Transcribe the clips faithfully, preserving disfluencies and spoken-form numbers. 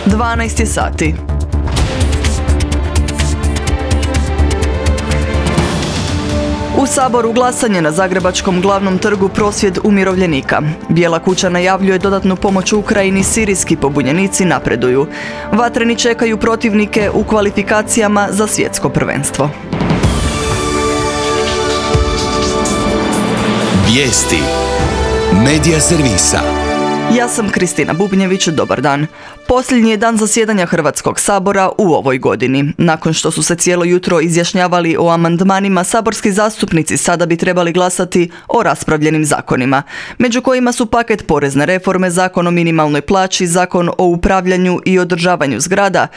dvanaest je sati. U Saboru glasanje na Zagrebačkom glavnom trgu prosvjed umirovljenika. Bijela kuća najavljuje dodatnu pomoć Ukrajini, sirijski pobunjenici napreduju. Vatreni čekaju protivnike u kvalifikacijama za svjetsko prvenstvo. Vijesti Medija servisa. Ja sam Kristina Bubnjević, dobar dan. Posljednji je dan zasjedanja Hrvatskog sabora u ovoj godini. Nakon što su se cijelo jutro izjašnjavali o amandmanima, saborski zastupnici sada bi trebali glasati o raspravljenim zakonima, među kojima su paket porezne reforme, zakon o minimalnoj plaći, zakon o upravljanju i održavanju zgrada,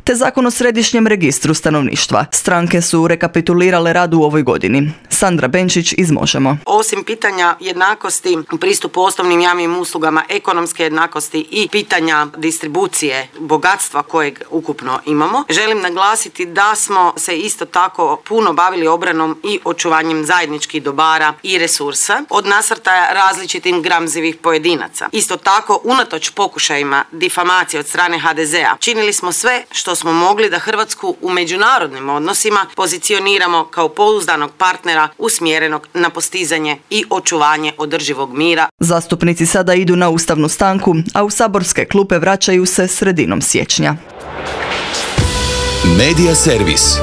te zakon o središnjem registru stanovništva. Stranke su rekapitulirale rad u ovoj godini. Sandra Benčić iz Možemo. Osim pitanja jednakosti, pristupu osnovnim javnim uslugama, ekonomske jednakosti i pitanja distribucije bogatstva kojeg ukupno imamo, želim naglasiti da smo se isto tako puno bavili obranom i očuvanjem zajedničkih dobara i resursa od nasrtaja različitim gramzivih pojedinaca. Isto tako, unatoč pokušajima difamacije od strane ha de zea, činili smo sve što smo mogli da Hrvatsku u međunarodnim odnosima pozicioniramo kao pouzdanog partnera usmjerenog na postizanje i očuvanje održivog mira. Zastupnici sada idu na ustavnu stanku, a u saborske klupe vraćaju se sredinom siječnja. Medija servis.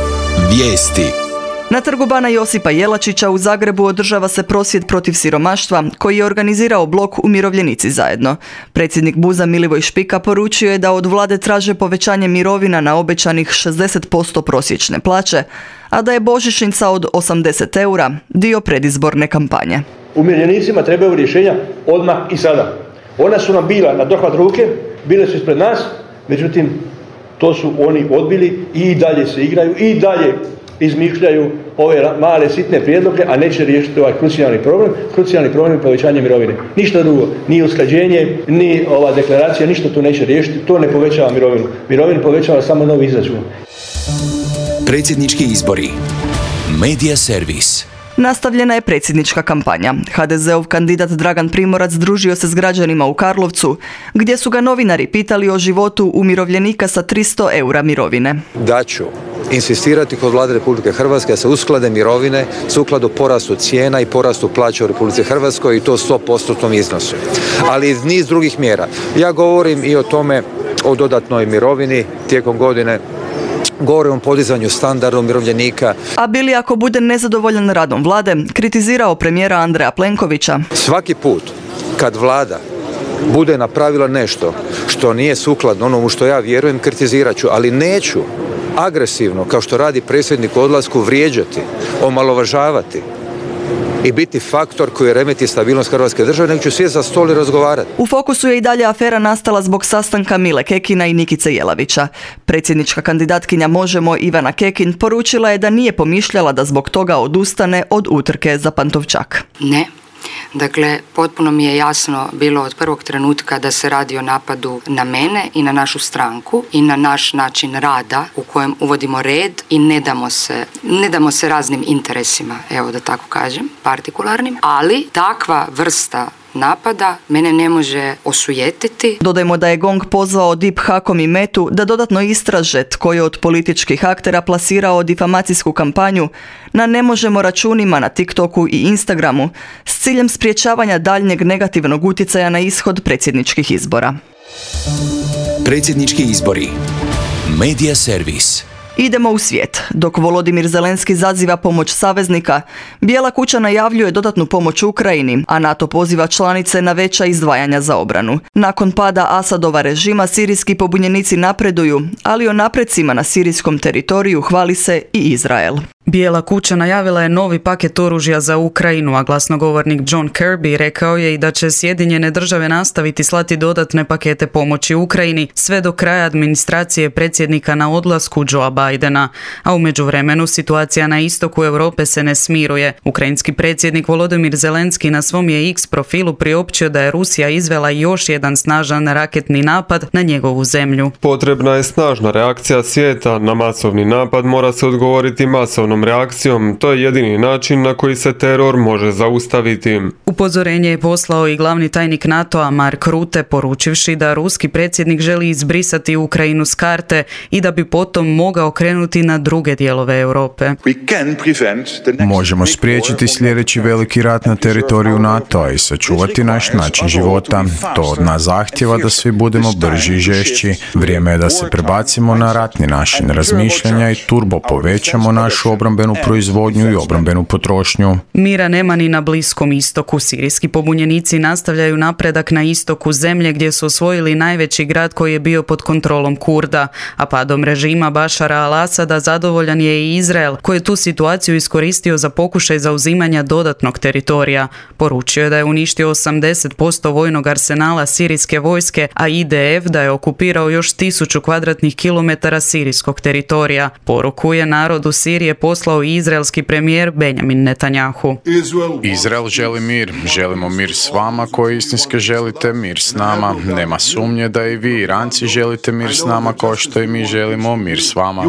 Vijesti. Na trgu Bana Josipa Jelačića u Zagrebu održava se prosvjed protiv siromaštva koji je organizirao blok Umirovljenici zajedno. Predsjednik BUZ-a Milivoj Špika poručio je da od vlade traže povećanje mirovina na obećanih šezdeset posto prosječne plaće, a da je božićnica od osamdeset eura dio predizborne kampanje. Umirovljenicima trebaju rješenja odmah i sada. Ona su nam bila na dohvat ruke, bile su ispred nas, međutim to su oni odbili i dalje se igraju i dalje izmišljaju ove male sitne prijedloge, a neće riješiti ovaj krucijalni problem. Krucijalni problem je povećanje mirovine. Ništa drugo, ni usklađenje, ni ova deklaracija, ništa to neće riješiti, to ne povećava mirovinu. Mirovinu povećava samo novi izračun. Predsjednički izbori. Medija servis. Nastavljena je predsjednička kampanja. ha de zeov kandidat Dragan Primorac družio se s građanima u Karlovcu, gdje su ga novinari pitali o životu umirovljenika sa tristo eura mirovine. Da ću insistirati kod Vlade Republike Hrvatske da se usklade mirovine sukladno porastu cijena i porastu plaća u Republici Hrvatskoj i to sto posto iznosu. Ali iz niz drugih mjera. Ja govorim i o tome, o dodatnoj mirovini tijekom godine, govorim o podizanju standarda umirovljenika. A bili ako bude nezadovoljan radom vlade, kritizirao premijera Andreja Plenkovića. Svaki put kad vlada bude napravila nešto što nije sukladno onomu što ja vjerujem, kritizirat ću, ali neću agresivno, kao što radi predsjednik u odlasku, vrijeđati, omalovažavati i biti faktor koji remeti stabilnost Hrvatske države, nego ću sjesti za stol i razgovarati. U fokusu je i dalje afera nastala zbog sastanka Mile Kekina i Nikice Jelavića. Predsjednička kandidatkinja Možemo Ivana Kekin poručila je da nije pomišljala da zbog toga odustane od utrke za Pantovčak. Ne. Dakle, potpuno mi je jasno bilo od prvog trenutka da se radi o napadu na mene i na našu stranku i na naš način rada u kojem uvodimo red i ne damo se, ne damo se raznim interesima, evo da tako kažem, partikularnim, ali takva vrsta napada mene ne može osujetiti. Dodajmo da je Gong pozvao Dip Hakom i Metu da dodatno istraže tko je od političkih aktera plasirao difamacijsku kampanju na Ne možemo računima na TikToku i Instagramu s ciljem sprječavanja daljnjeg negativnog utjecaja na ishod predsjedničkih izbora. Predsjednički izbori. Medija servis. Idemo u svijet. Dok Volodimir Zelenski zaziva pomoć saveznika, Bijela kuća najavljuje dodatnu pomoć Ukrajini, a NATO poziva članice na veća izdvajanja za obranu. Nakon pada Asadova režima, sirijski pobunjenici napreduju, ali o napredcima na sirijskom teritoriju hvali se i Izrael. Bijela kuća najavila je novi paket oružja za Ukrajinu, a glasnogovornik John Kirby rekao je i da će Sjedinjene države nastaviti slati dodatne pakete pomoći Ukrajini sve do kraja administracije predsjednika na odlasku Joea Bidena. A u međuvremenu situacija na istoku Europe se ne smiruje. Ukrajinski predsjednik Volodimir Zelenski na svom je X profilu priopćio da je Rusija izvela još jedan snažan raketni napad na njegovu zemlju. Potrebna je snažna reakcija svijeta na masovni napad, mora se odgovoriti masovno jednostavnom reakcijom, to je jedini način na koji se teror može zaustaviti. Upozorenje je poslao i glavni tajnik NATO-a Mark Rutte, poručivši da ruski predsjednik želi izbrisati Ukrajinu s karte i da bi potom mogao krenuti na druge dijelove Europe. Možemo spriječiti sljedeći veliki rat na teritoriju NATO-a i sačuvati naš način života. To od nas zahtjeva da svi budemo brži i žešći. Vrijeme je da se prebacimo na ratni način razmišljanja i turbo povećamo našu obrambenu proizvodnju i obrambenu potrošnju. Mira nema ni na Bliskom istoku. Sirijski pobunjenici nastavljaju napredak na istoku zemlje gdje su osvojili najveći grad koji je bio pod kontrolom Kurda, a padom režima Bašara al-Asada zadovoljan je i Izrael, koji je tu situaciju iskoristio za pokušaj zauzimanja dodatnog teritorija. Poručio je da je uništio osamdeset posto vojnog arsenala sirijske vojske, a I D F da je okupirao još tisuću kvadratnih kilometara sirijskog teritorija. Poruku je narodu Sirije poslao i izraelski premijer Benjamin Netanjahu. Izrael želi mir. Želimo mir s vama koji istinski želite mir s nama. Nema sumnje da i vi, Iranci, želite mir s nama kao što i mi želimo mir s vama.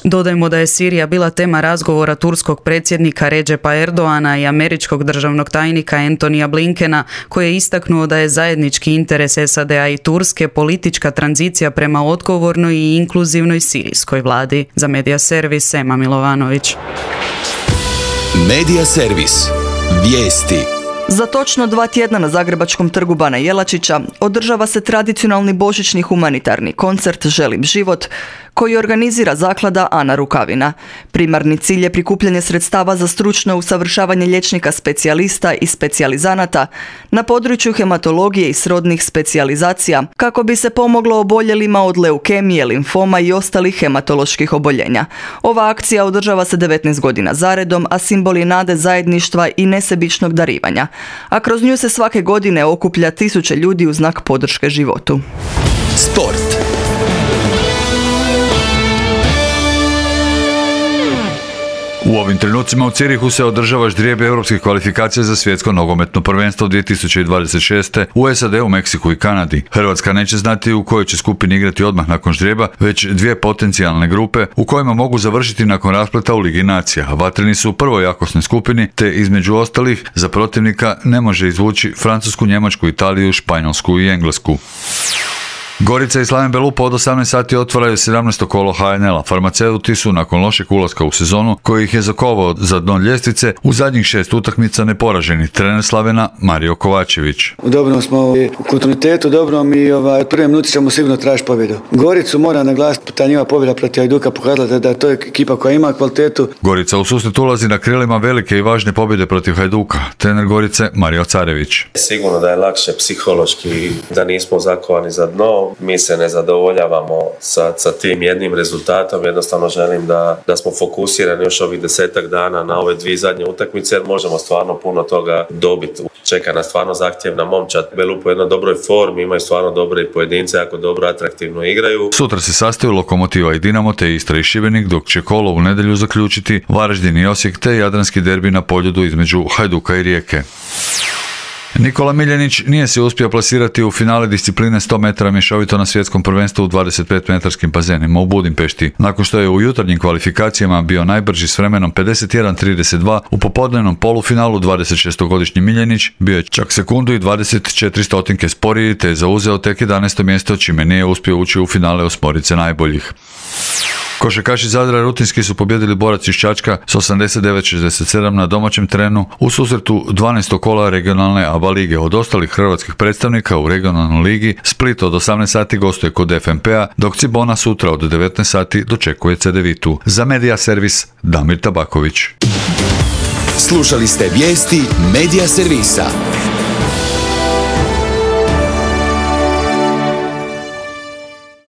Dodajmo da je Sirija bila tema razgovora turskog predsjednika Redžepa Erdoana i američkog državnog tajnika Antonija Blinkena, koji je istaknuo da je zajednički interes S A D-a i Turske politička tranzicija prema odgovornoj i inkluzivnoj sirijskoj vladi. Za Medija Servis, Ema Milovanović. Medija Servis. Vijesti. Za točno dva tjedna na Zagrebačkom trgu Bana Jelačića održava se tradicionalni božićni humanitarni koncert Želim život, koji organizira zaklada Ana Rukavina. Primarni cilj je prikupljanje sredstava za stručno usavršavanje liječnika specijalista i specijalizanata na području hematologije i srodnih specijalizacija, kako bi se pomoglo oboljelima od leukemije, limfoma i ostalih hematoloških oboljenja. Ova akcija održava se devetnaest godina zaredom, a simbol je nade, zajedništva i nesebičnog darivanja. A kroz nju se svake godine okuplja tisuće ljudi u znak podrške životu. Sport. U ovim trenucima u Cirihu se održava ždrijeb europskih kvalifikacija za svjetsko nogometno prvenstvo dvije tisuće dvadeset šeste u S A D, u Meksiku i Kanadi. Hrvatska neće znati u kojoj će skupini igrati odmah nakon ždrijeba, već dvije potencijalne grupe u kojima mogu završiti nakon raspleta u Ligi nacija. Vatreni su u prvoj jakosnoj skupini, te između ostalih za protivnika ne može izvući Francusku, Njemačku, Italiju, Španjolsku i Englesku. Gorica i Slaven Belupo od osamnaest sati otvaraju sedamnaesto kolo H N L-a. Farmaceuti su nakon lošeg ulaska u sezonu, koji ih je zakovao za dno ljestvice, u zadnjih šest utakmica neporaženi. Trener Slavena Mario Kovačević. U dobrom smo u kontinuitetu, dobrom i ovaj, od prve minuti ćemo sigurno tražiti pobjedu. Goricu mora naglasiti, ta njima pobjeda protiv Hajduka pokazala da je to ekipa koja ima kvalitetu. Gorica u susret ulazi na krilima velike i važne pobjede protiv Hajduka. Trener Gorice Mario Carević. Sigurno da je lakše psihološki, da nismo zakovani za dno. Mi se ne zadovoljavamo sa, sa tim jednim rezultatom, jednostavno želim da, da smo fokusirani još ovih desetak dana na ove dvije zadnje utakmice, jer možemo stvarno puno toga dobiti. Čeka nas stvarno zahtjevna momčad. Belupo je u jednoj dobroj formi, imaju stvarno dobre pojedince, jako dobro, atraktivno igraju. Sutra se sastaju Lokomotiva i Dinamo, te Istra i Šibenik, dok će kolo u nedjelju zaključiti Varaždin i Osijek, te jadranski derbi na Poljudu između Hajduka i Rijeke. Nikola Miljenić nije se uspio plasirati u finale discipline sto metara mješovito na svjetskom prvenstvu u dvadeset pet metarskim bazenima u Budimpešti, nakon što je u jutarnjim kvalifikacijama bio najbrži s vremenom pedeset jedan trideset dva. U popodnevnom polufinalu dvadesetšestogodišnji Miljenić bio je čak sekundu i dvadeset četiri stotinke sporiji, te je zauzeo tek jedanaesto mjesto, čime nije uspio ući u finale osmorice najboljih. Košarkaši Zadra rutinski su pobjedili Borac iz Čačka s osamdeset devet šezdeset sedam na domaćem terenu u susretu dvanaestog kola regionalne A B A lige. Od ostalih hrvatskih predstavnika u regionalnoj ligi Split od osamnaest sati gostuje kod F M P-a, dok Cibona sutra od devetnaest sati dočekuje Cedevitu. Za Medija Servis Damir Tabaković. Slušali ste vijesti Medija Servisa.